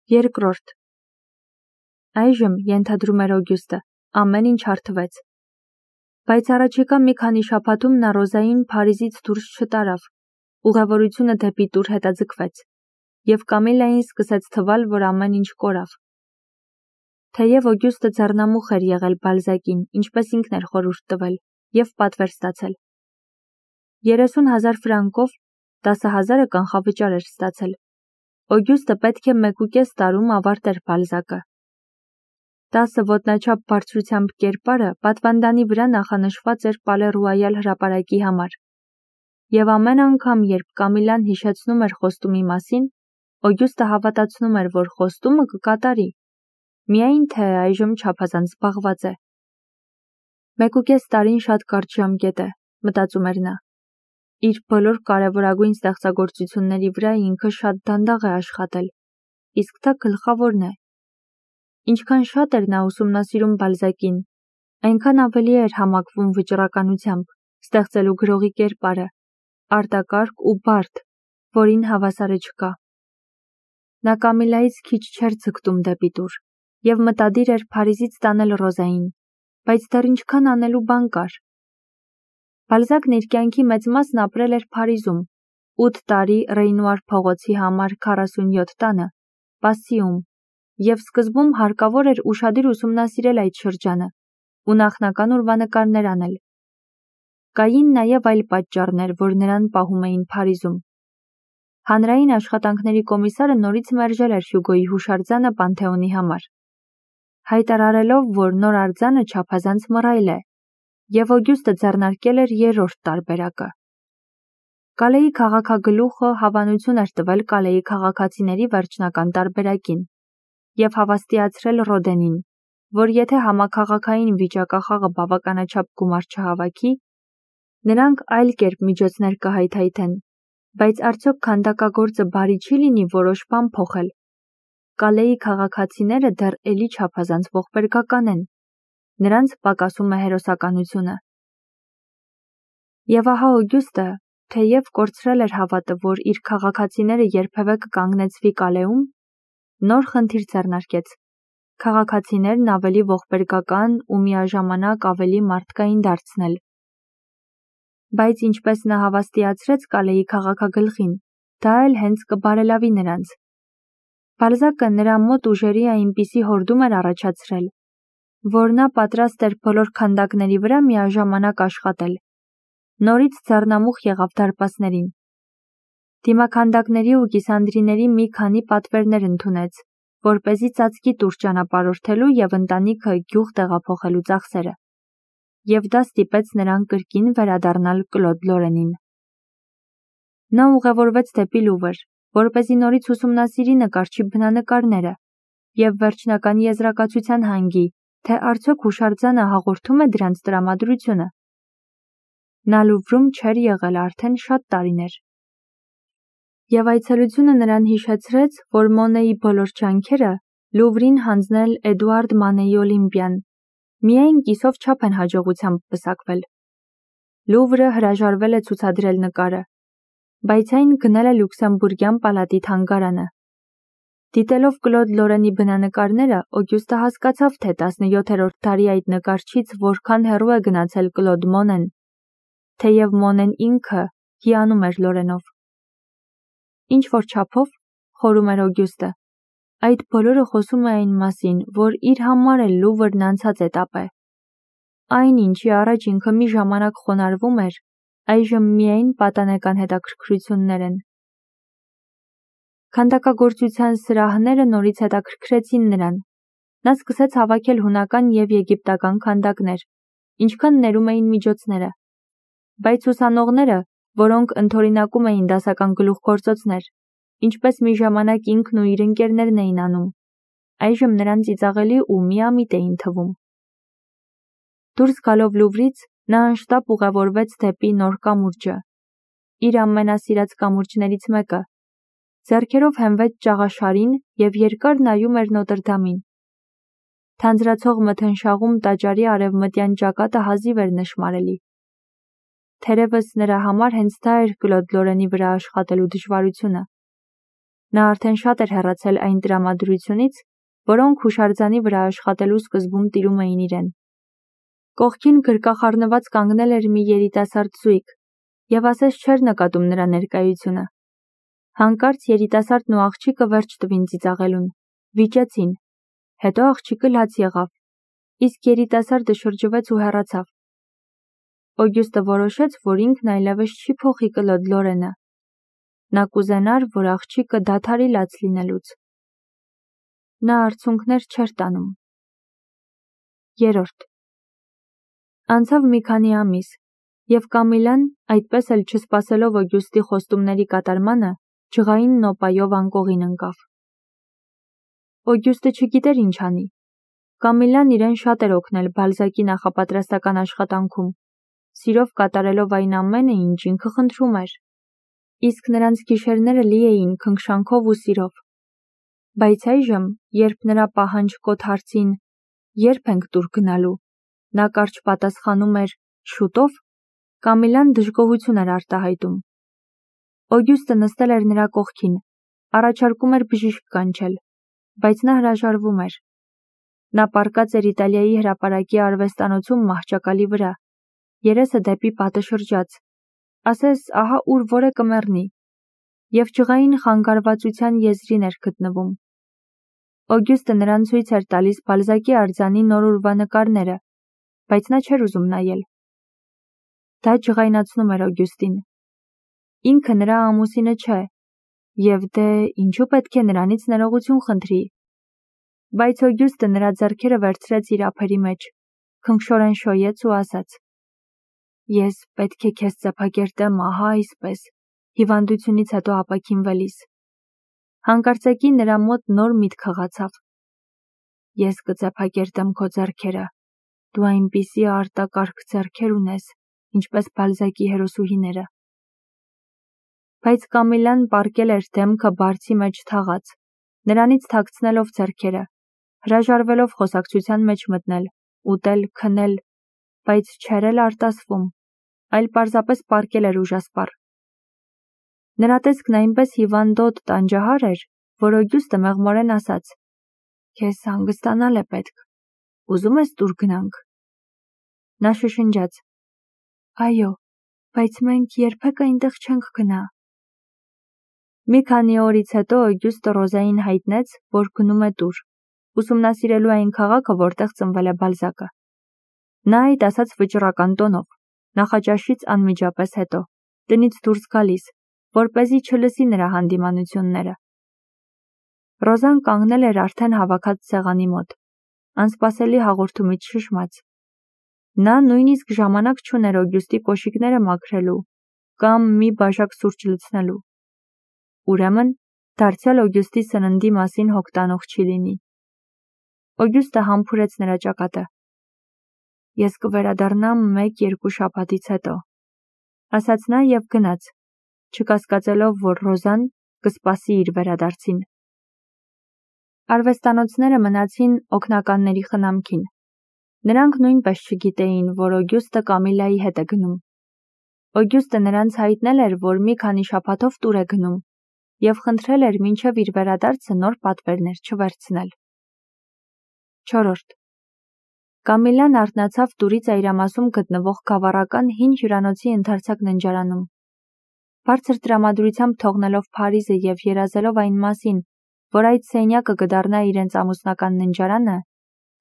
Երկրորդ. Այժմ ենթադրում էր Օգյուստը, ամեն ինչ հարթվեց։ Բայց առաջիկա մի քանի շաբաթում նա Ռոզային Փարիզից դուրս չտարավ, ուղևորությունը դեպի տուր հետաձգվեց, և Կամիլային սկսեց թվալ, որ ամեն ինչ կորավ։ Թեև Օգյուստը ձեռնամուխ էր եղել Բալզակին, ինչպես ինքն էր խորհուրդ տվել, և պատվեր ստացել։ 30,000 ֆրանկով 10,000-ը կանխավճար էր ստացել։ Օգյուստը պետք է 1.5 տարում ավարտեր Բալզակը։ 10 ոտնաչափ բարձրությամբ կերպարը պատվանդանի վրա նախանշված էր Պալե Ռոյալ հրապարակի համար։ Եվ ամեն անգամ, երբ Կամիլան հիշեցնում էր խոստումի մասին, Օգյուստը հավատացնում էր, որ խոստումը կկատարի, միայն թե այժմ չափազանց զբաղված է։ 1.5 տարին շատ կարճ ժամկետ է, մտածում էր նա։ Իր բոլոր կարևորագույն ստեղծագործությունների վրա ինքը շատ դանդաղ է աշխատել, իսկ դա գլխավորն է։ Ինչքան շատ էր նա ուսումնասիրում Բալզակին, այնքան ավելի էր համակվում վճռականությամբ, ստեղծելու գրողի կերպարը, արտակարգ ու բարդ, որին հավասարը չկա։ Նա Կամիլայից քիչ չէր ձգտում դեպի տուր, և մտադիր էր Փարիզից տանել Ռոզային, բայց դեռ ինչքան անելու բան կար։ Բալզակն իր կյանքի մեծ մասն ապրել էր Փարիզում, 8 տարի Ռեյնուար փողոցի համար 47 տանը, Պասսիում, և սկզբում հարկավոր էր ուշադիր ուսումնասիրել այդ շրջանը ու նախնական ուրվանկարներ անել։ Կային նաև այլ պատճառներ, որ նրան պահում էին Փարիզում։ Հանրային աշխատանքների կոմիսարը նորից մերժել էր Հյուգոյի հուշարձանը Պանթեոնի համար, հայտարարելով, որ նոր արձանը չափազանց մռայլ է, և Օգյուստը ձեռնարկել էր 3-րդ տարբերակը։ Կալեի քաղաքագլուխը հավանություն էր տվել Կալեի քաղաքացիների վերջնական տարբերակին և հավաստիացրել Ռոդենին, որ եթե համաքաղաքային վիճակախաղը բավականաչափ գումար չհավաքի, նրանք այլ կերպ միջոցներ կհայթայթեն, բայց արդյոք քանդակագործը բարի չի լինի որոշ բան փոխել։ Կալեի քաղաքացիները դեռ էլի չափազանց ողբերգական են, նրանց պակասում է հերոսականությունը։ Եվ ահա Օգյուստը, թեև կորցրել էր հավատը, որ իր քաղաքացիները երբևէ կկանգնեցվի Կալեում, նոր խնդիր ձեռնարկեց՝ քաղաքացիներն ավելի ողբերգական ու միաժամանակ ավելի մարդկային դարձնել։ Բայց ինչպես նա հավաստիացրեց Կալեի քաղաքագլխին, դա էլ հենց կբարելավի նրանց։ Բալզակը նրա մոտ ուժերի այնպիսի հորդում էր առաջացրել, որ նա պատրաստ էր բոլոր քանդակների վրա միաժամանակ աշխատել։ Նորից ձեռնամուխ եղավ դարպասներին։ Դիմաքանդակների ու կիսանդրիների մի քանի պատվերներ ընդունեց, որպեսզի ծածկի տուր ճանապարհորդելու և ընտանիքը գյուղ տեղափոխելու ծախսերը, և դա ստիպեց նրան կրկին վերադառնալ Կլոդ Լորենին։ Նա ուղևորվեց դեպի Լուվր, որպեսզի նորից ուսումնասիրի նկարչի բնանկարները և վերջնական եզրակացության հանգի, թե արդյոք հուշարձանը հաղորդում է դրանց տրամադրությունը։ Նա Լուվրում չէր եղել արդեն շատ տարիներ։ Եվ այցելությունը նրան հիշեցրեց, որ Մոնեի բոլոր ջանքերը Լուվրին հանձնել Էդուարդ Մանեի Օլիմպիան միայն կիսով չափ են հաջողությամբ պսակվել։ Լուվրը հրաժարվել է ցուցադրել նկարը, բայց այն գնել է Լյուքսեմբուրգյան պալատի թանգարանը։ Դիտելով Կլոդ Լորենի բնանկարները, Օգյուստը հասկացավ, թե 17-րդ դարի այդ նկարչից որքան հեռու է գնացել Կլոդ Մոնեն, թեև Մոնեն ինքը հիանում էր Լորենով։ Ինչ-որ չափով, խորում էր Օգյուստը, այդ բոլորը խոսում է այն մասին, որ իր համար էլ Լուվրն անցած էտապ է։ Այն, ինչի առաջ ինքը մի ժամանակ խոնարհվում էր, այժմ միայն պատանեկան հետաքրքրություններ են։ Քանդակագործության սրահները նորից հետաքրքրեցին նրան։ Նա սկսեց հավաքել հունական և եգիպտական քանդակներ, ինչքան ներում էին միջոցները։ Բայց ուսանողները, որոնք ընդօրինակում էին դասական գլուխգործոցներ, ինչպես մի ժամանակ ինքն ու իր ընկերներն էին անում, այժմ նրան ծիծաղելի ու միամիտ էին թվում։ Դուրս գալով Լուվրից, նա անշտապ ուղևորվեց դեպի Նոր կամուրջը, իր ամենասիրած կամուրջներից մեկը, ձեռքերով հենվեց ճաղաշարին և երկար նայում էր Նոտրդամին։ Թանձրացող մթնշաղում տաճարի արևմտյան ճակատը հազիվ էր նշմարելի։ Թերևս նրա համար հենց դա էր Կլոդ Լորենի վրա աշխատելու դժվարությունը։ Նա արդեն շատ էր հեռացել այն տրամադրությունից, որոնք հուշարձանի վրա աշխատելու սկզբում տիրում էին իրեն։ Կողքին գրկախառնված կանգնել էր մի երիտասարդ զույգ, և ասես չէր նկատում նրա ներկայությունը։ Հանկարծ երիտասարդն ու աղջիկը վերջ տվին ծիծաղելուն, վիճեցին, հետո աղջիկը լաց եղավ, իսկ երիտասարդը շրջվեց ու հեռացավ։ Օգյուստը որոշեց, որ ինքն այլևս չի փոխի կլոդ Լորենը։ Նա կուզենար, որ աղջիկը դադարի լաց լինելուց։ Նա արցունքներ չէր տանում։ 3. Անցավ մի քանի ամիս, և Կամիլան, այդպես էլ չսպասելով Օգյուստի խոստումների կատարմանը, ջղային նոպայով անկողին ընկավ։ Օգյուստը չգիտեր ինչ անի։ Կամիլան իրեն շատ էր օգնել Բալզակի նախապատրաստական աշխատանքում, սիրով կատարելով այն ամենը, ինչ ինքը խնդրում էր, իսկ նրանց գիշերները լի էին քնքշանքով ու սիրով։ Բայց այժմ, երբ նրա պահանջկոտ հարցին «Երբ ենք տուր գնալու» նա կարճ պատասխանում էր «շուտով», Կամիլան դժգոհություն էր արտահայտում։ Օգյուստը նստել էր նրա կողքին, առաջարկում էր բժիշկ կանչել, բայց նա հրաժարվում էր։ Նա պառկած էր Իտալիայի հրապարակի արվեստանոցում մահճակալի վրա, երեսը դեպի պատը շրջած, ասես ահա ուր որը կմեռնի, և ջղային խանգարվածության եզրին էր գտնվում։ Օգյուստը նրան ցույց էր տալիս Բալզակի արձանի նոր ուրվանկարները, բայց նա չէր ուզում նայել։ Դա ջղայնացնում էր Օգյուստին։ Ինքը նրա ամուսինը չէ, և դե ինչու պետք է նրանից ներողություն խնդրի։ Բայց Օգյուստը նրա ձեռքերը վերցրեց իր ափերի մեջ, քնքշորեն շոյեց ու ասաց. «Ես պետք է քեզ ծեփակերտեմ ահա այսպես, հիվանդությունից հետո ապաքինվելիս»։ Հանկարծակի նրա մոտ նոր միտք հղացավ. «Ես կծեփակերտեմ քո ձեռքերը, դու այնպիսի արտակարգ ձեռքեր ունես, ինչպես Բալզակի հերոսուհիները»։ Բայց Կամիլան պառկել էր դեմքը բարձի մեջ թաղած, նրանից թաքցնելով ձեռքերը, հրաժարվելով խոսակցության մեջ մտնել, ուտել, քնել, բայց չէր էլ արտասվում, այլ պարզապես պառկել էր ուժասպառ։ Նրա տեսքն այնպես հիվանդոտ տանջահար էր, որ Օգյուստը մեղմորեն ասաց. «Քեզ հանգստանալ է պետք, ուզում ես տուր գնանք»։ Նա շշնջաց. «Այո, բայց մենք երբեք այնտեղ չենք գնա»։ Մի քանի օրից հետո Օգյուստը Ռոզային հայտնեց, որ գնում է տուր, ուսումնասիրելու այն քաղաքը, որտեղ ծնվել է Բալզակը։ Նա այդ ասաց վճռական տոնով, նախաճաշից անմիջապես հետո, տնից դուրս գալիս, որպեսզի չլսի նրա հանդիմանությունները։ Ռոզան կանգնել էր արդեն հավաքած սեղանի մոտ, անսպասելի հաղորդումից շշմած։ Նա նույնիսկ ժամանակ չուներ Օգյուստի կոշիկները մաքրելու կամ մի բաժակ սուրճ լցնելու։ Ուրեմն, դարձյալ Օգյուստի սննդի մասին հոգ տանող չի լինի։ Օգյուստը համբուրեց նրա ճակատը։ «Ես կվերադառնամ 1-2 շաբաթից հետո», ասաց նա և գնաց, չկասկածելով, որ Ռոզան կսպասի իր վերադարձին։ Արվեստանոցները մնացին օգնականների խնամքին։ Նրանք նույնպես չգիտեին, որ Օգյուստը Կամիլայի հետ է գնում։ Օգյուստը նրանց հայտնել էր, որ մի քանի շաբաթով տուր է գնում, և խնդրել էր մինչև իր վերադարձը նոր պատվերներ չվերցնել։ 4. Կամիլան արթնացավ տուրի ծայրամասում գտնվող գավառական հին հյուրանոցի ընդարձակ ննջարանում։ Բարձր տրամադրությամբ թողնելով Փարիզը և երազելով այն մասին, որ այդ սենյակը կդառնա իրենց ամուսնական ննջարանը,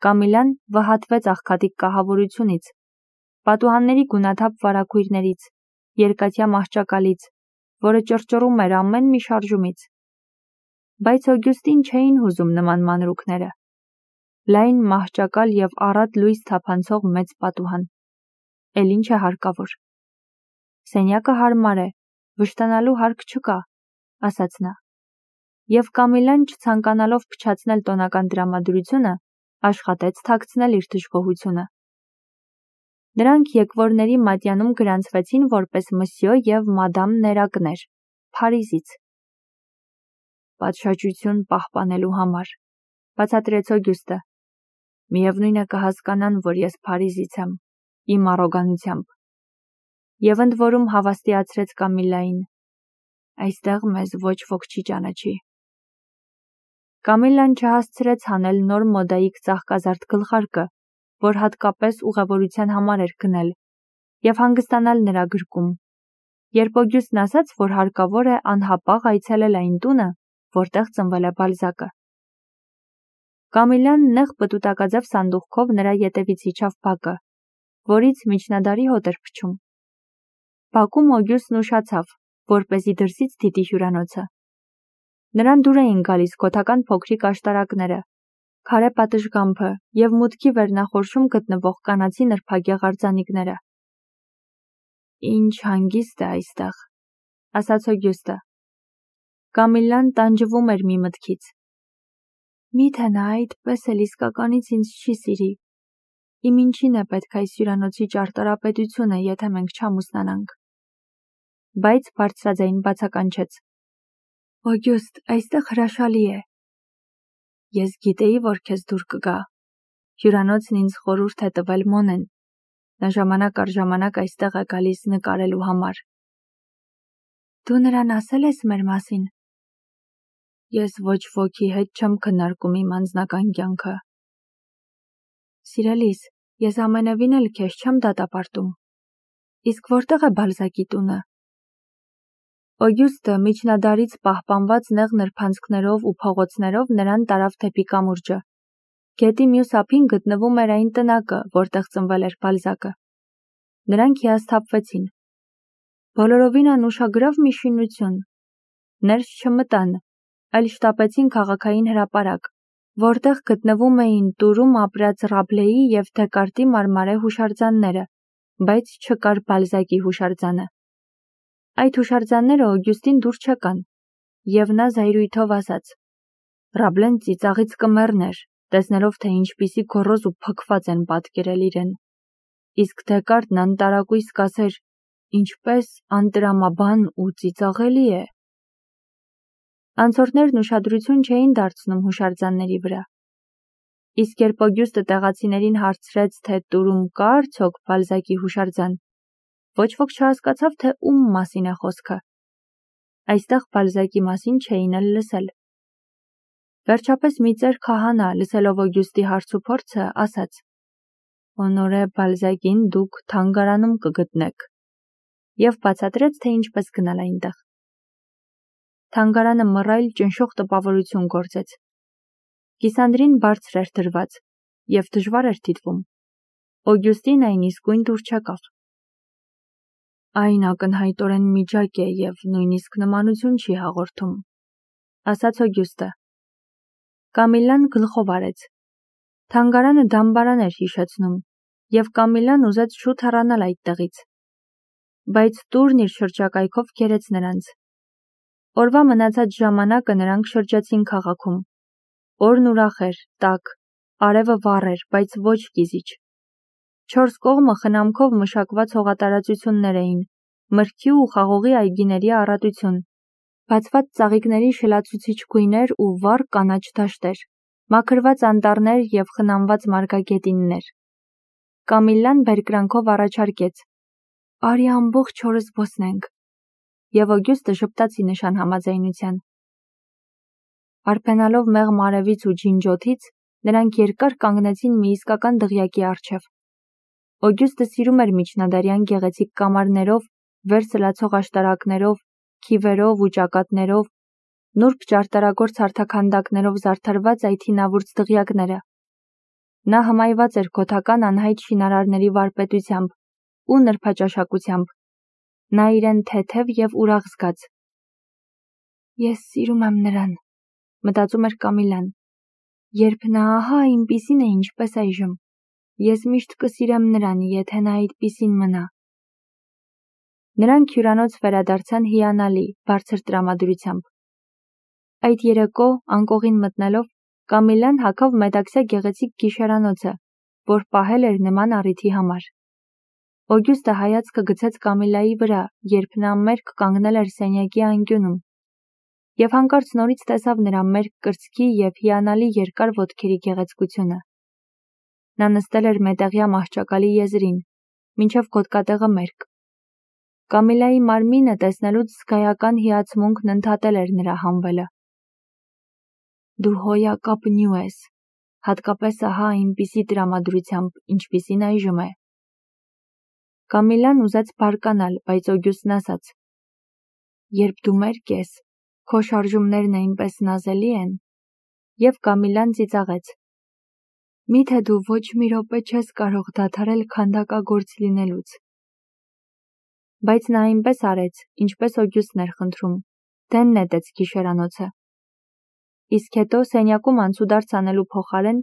Կամիլան վհատվեց աղքատիկ կահավորությունից, պատուհանների գունաթափ վարագույրներից, երկաթյա մահճակալից, որը ճռճռում էր ամեն մի շարժումից։ Բայց Օգյուստին չէին հուզում նման մանրուքները։ Լայն մահճակալ և առատ լույս թափանցող մեծ պատուհան։ Էլ ինչ է հարկավոր։ Սենյակը հարմար է, վշտանալու հարկ չկա, ասաց նա։ Եվ Կամիլան, չցանկանալով փչացնել տոնական տրամադրությունը, աշխատեց թաքցնել իր դժգոհությունը։ Նրանք եկվորների մատյանում գրանցվեցին որպես Մսյո և Մադամ Ներակներ, Փարիզից։ «Պատշաճություն պահպանելու համար», բացատրեց Օգյուստը։ «Միևնույն է կհասկանան, որ ես Փարիզից եմ, իմ առոգանությամբ»։ Եվ ընդ որում հավաստիացրեց Կամիլային. «Այստեղ մեզ ոչ ոք չի ճանաչի»։ Կամիլլան չհասցրեց հանել նոր մոդայիկ ծաղկազարդ գլխարկը, որ հատկապես ուղևորության համար էր գնել, և հանգստանալ նրա գրկում, երբ Օգյուստն ասաց, որ հարկավոր է անհապաղ այցելել այն տունը, որտեղ ծնվել է Բալզակը։ Կամիլլան նեղ պտուտակաձև սանդուղքով նրա ետևից իջավ բակը, որից միջնադարի հոտ էր փչում։ Բակում Օգյուստն ուշացավ, որպեսզի դրսից դիտի հյուրանոցը։ Նրան դուր էին գալիս գոթական փոքրիկ աշտարակները, քարե պատշգամբը և մուտքի վերնախորշում գտնվող կանացի նրբագեղ արձանիկները։ «Ինչ հանգիստ է այստեղ», ասաց Օգյուստը։ Կամիլլան տանջվում էր մի մտքից։ Միթե նա այդպես էլ իսկականից ինձ չի սիրի։ Իմ ինչին է պետք այս հյուրանոցի ճարտարապետությունը, եթե մենք չամուսնանանք։ Բայց բարձրաձայն բացականչեց. Օգյուստ, այստեղ հրաշալի է։ Ես գիտեի, որ քեզ դուր կգա։ Հյուրանոցն ինձ խորհուրդ է տվել Մոնեն։ Նա ժամանակ առ ժամանակ այստեղ է գալիս նկարելու համար։ Դու նրան ասել ես մեր մասին։ Ես ոչ ոքի հետ չեմ քննարկում իմ անձնական կյանքը։ Սիրելիս, ես ամենևին էլ քեզ չեմ դատապարտում։ Իսկ որտեղ է Բալզակի տունը։ Օգյուստը միջնադարից պահպանված նեղ նրբանցքներով ու փողոցներով նրան տարավ դեպի կամուրջը։ Գետի մյուս ափին գտնվում էր այն տնակը, որտեղ ծնվել էր Բալզակը։ Նրանք հիասթափվեցին։ Բոլորովին անուշագրավ մի շինություն։ Ներս չմտան, այլ շտապեցին քաղաքային հրապարակ, որտեղ գտնվում էին տուրում ապրած Ռաբլեի և Դեկարտի մարմարե հուշարձանները, բայց չկար Բալզակի հուշարձանը։ Այդ հուշարձանները Օգյուստին դուր չեկան, և նա զայրույթով ասաց. Ռաբլեն ծիծաղից կմեռներ, տեսնելով, թե ինչպիսի գոռոզ ու փքված են պատկերել իրեն։ Իսկ Դեկարտն անտարակույս կասեր. ինչպես անտրամաբան ու ծիծաղելի է։ Անցորդներն ուշադրություն չէին դարձնում հուշարձանների վրա։ Իսկ երբ Օգյուստը տեղացիներին հարցրեց, թե տուրում կա արդյոք Բալզակի հուշարձան, ոչ ոք չհասկացավ, թե ում մասին է խոսքը։ Այստեղ Բալզակի մասին չէին էլ լսել։ Վերջապես մի ծեր քահանա, լսելով Օգյուստի հարցուփորձը, ասաց. Հոնորե Բալզակին դուք թանգարանում կգտնեք, և բացատրեց, թե ինչպես գնալ այնտեղ։ Թանգարանը մռայլ ճնշող տպավորություն գործեց։ Կիսանդրին բարձր էր դրված, և դժվար էր դիտվում։ Օգյուստին այն իսկույն դուր չեկավ։ Այն ակնհայտորեն միջակ է և նույնիսկ նմանություն չի հաղորդում, ասաց Օգյուստը։ Կամիլլան գլխով արեց։ Թանգարանը դամբարան էր հիշեցնում, և Կամիլլան ուզեց շուտ հեռանալ այդտեղից։ Բայց տուրն իր շրջակայքով քերեց նրանց։ Օրվա մնացած ժամանակը նրանք շրջեցին քաղաքում։ Օրն ուրախ էր, տաք, արևը վառ էր, բայց ոչ կիզիչ։ Չորս կողմը խնամքով մշակված հողատարածություններ էին, մրգի ու խաղողի այգիների առատություն, բացված ծաղիկների շլացուցիչ գույներ ու վառ կանաչ դաշտեր, մաքրված անտառներ և խնամված մարգագետիններ։ Կամիլլան բերկրանքով առաջարկեց. Արի ամբողջ օրը զբոսնենք, և Օգյուստը ժպտաց ի նշան համաձայնության։ Արփենալով մեղմ արևից ու ջինջոթից, նրանք երկար կանգնեցին մի իսկական դղյակի առջև։ Օգյուստը սիրում էր միջնադարյան գեղեցիկ կամարներով, վեր սլացող աշտարակներով, քիվերով ու ճակատներով, նուրբ ճարտարագործ հարթաքանդակներով զարդարված այդ հինավուրց դղյակները։ Նա հմայված էր գոթական անհայտ շինարարների վարպետությամբ ու նրբաճաշակությամբ։ Նա իրեն թեթև և ուրախ զգաց։ Ես սիրում եմ նրան, մտածում էր Կամիլլան, երբ նա ահա այնպիսին է, ինչպես այժմ։ Ես միշտ կսիրեմ նրան, եթե նա այդպիսին մնա։ Նրանք հյուրանոց վերադարձան հիանալի, բարձր տրամադրությամբ։ Այդ երեկո, անկողին մտնելով, Կամիլլան հագավ մետաքսյա գեղեցիկ գիշերանոցը, որ պահել էր նման առիթի համար։ Օգյուստը հայացքը գցեց Կամիլլայի վրա, երբ նա մերկ կանգնել էր սենյակի անկյունում, և հանկարծ նորից տեսավ նրա մերկ կրծքի և հիանալի երկար ոտքերի գեղեցկությունը։ Նա նստել էր մետաղյա մահճակալի եզրին, մինչև գոտկատեղը մերկ։ Կամիլլայի մարմինը տեսնելուց զգայական հիացմունքն ընդհատել էր նրա հանվելը։ Դու հոյակապնյու ես, հատկապես ահա այնպիսի տրամադրությամբ, ինչպիսին այժմ է։ Կամիլան ուզեց բարկանալ, բայց Օգյուստն ասաց. Երբ դու մերկ ես, քո շարժումներն այնպես նազելի են, և Կամիլան ծիծաղեց. Միթե դու ոչ մի րոպե չես կարող դադարել քանդակագործ լինելուց։ Բայց նա այնպես արեց, ինչպես Օգյուստն էր խնդրում, դեն նետեց գիշերանոցը։ Իսկ հետո սենյակում անցուդարձ անելու փոխարեն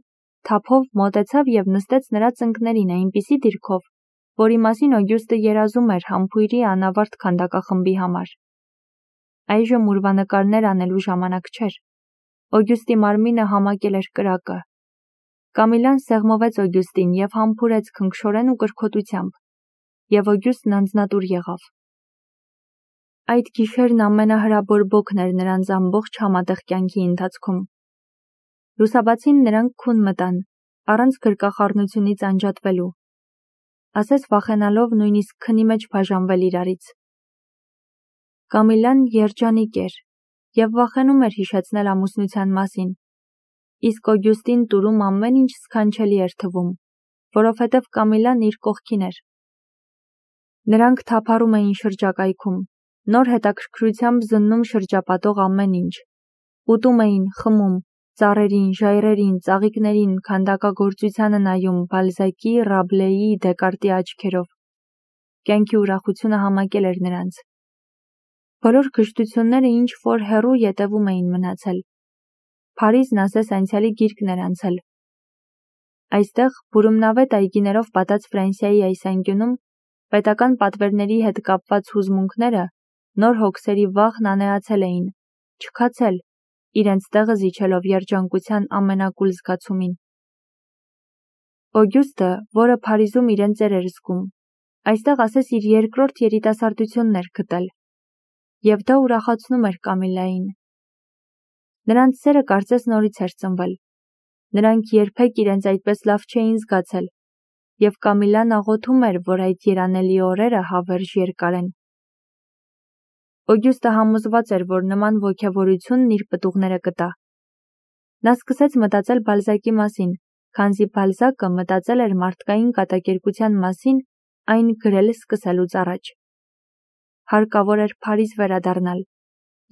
թափով մոտեցավ և նստեց նրա ծնկներին այնպիսի դիրքով, որի մասին Օգյուստը երազում էր համբույրի անավարտ քանդակախմբի համար։ Այժմ ուրվանկարներ անելու ժամանակ չէր։ Օգյուստի մարմինը համակել էր կրակը։ Կամիլան սեղմովեց Օգյուստին և համբուրեց քնքշորեն ու կրքոտությամբ, և Օգյուստն անձնատուր եղավ։ Այդ գիշերն ամենահրաբորբոքն էր նրանց ամբողջ համատեղ կյանքի ընթացքում։ Լուսաբացին նրանք քուն մտան, առանց գրկախառնությունից անջատվելու, ասես վախենալով նույնիսկ քնի մեջ բաժանվել իրարից։ Կամիլան երջանիկ էր և վախենում էր հիշեցնել ամուսնության մասին, իսկ Օգյուստին տուրում ամեն ինչ սքանչելի էր թվում, որովհետև Կամիլան իր կողքին էր։ Նրանք թափառում էին շրջակայքում, նոր հետաքրքրությամբ զննում շրջապատող ամեն ինչ, ուտում էին, խմում, ծառերին, ժայռերին, ծաղիկներին, քանդակագործությանը նայում Բալզակի, Ռաբլեի, Դեկարտի աչքերով։ Կյանքի ուրախությունը համակել էր նրանց։ Բոլոր կշտությունները ինչ-որ հեռու ետևում էին մնացել։ Փարիզն ասես անցյալի գիրկն էր անցել։ Այստեղ բուրումնավետ այգիներով պատած Ֆրանսիայի այս անկյունում պետական պատվերների հետ կապված հուզմունքները, նոր հոգսերի վախն անեացել էին, չքացել, իրենց տեղը զիջելով երջանկության ամենակուլ զգացումին։ Օգյուստը, որը Փարիզում իրեն ծեր էր զգում, այստեղ ասես իր երկրորդ երիտասարդությունն էր գտել, և դա ուրախացնում էր Կամիլային։ Նրանց սերը կարծես նորից էր ծնվել։ Նրանք երբեք իրենց այդպես լավ չէին զգացել, և Կամիլան աղոթում էր, որ այդ երանելի օրերը հավերժ երկարեն։ Օգյուստը համոզված էր, որ նման ոգևորությունն իր պտուղները կտա։ Նա սկսեց մտածել Բալզակի մասին, քանզի Բալզակը մտածել էր մարդկային կատակերգության մասին այն գրել սկսելուց առաջ։ Հարկավոր էր Փարիզ վերադառնալ,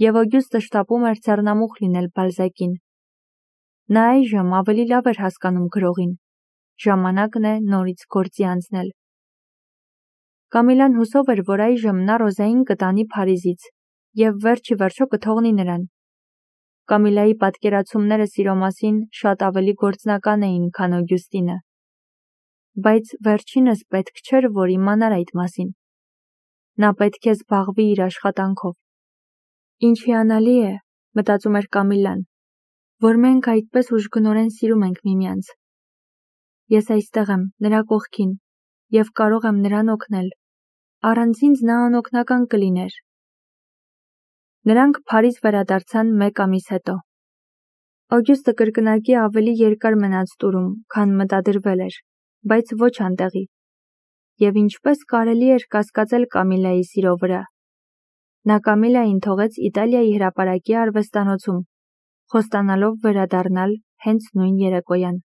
և Օգյուստը շտապում էր ձեռնամուխ լինել Բալզակին։ Նա այժմ ավելի լավ էր հասկանում գրողին։ Ժամանակն է նորից գործի անցնել։ Կամիլան հուսով էր, որ այժմ նա Ռոզային կտանի Փարիզից և վերջ ի վերջո կթողնի նրան։ Կամիլայի պատկերացումները սիրո մասին շատ ավելի գործնական էին, քան Օգյուստինը։ Բայց վերջինս պետք չէր, որ իմանար այդ մասին։ Նա պետք է զբաղվի իր աշխատանքով։ Ինչ հիանալի է, մտածում էր Կամիլան, որ մենք այդպես ուժգնորեն սիրում ենք միմյանց։ Ես այստեղ եմ, նրա կողքին, և կարող եմ նրան օգնել։ Առանց ինձ նա անօգնական կլիներ։ Նրանք Փարիզ վերադարձան 1 ամիս հետո։ Օգյուստը կրկնակի ավելի երկար մնաց տուրում, քան մտադրվել էր, բայց ոչ անտեղի։ Եվ ինչպես կարելի էր կասկածել Կամիլայի սիրո վրա։ Նա Կամիլային թողեց Իտալիայի հրապարակի արվեստանոցում, խոստանալով վերադառնալ հենց նույն երեկոյան։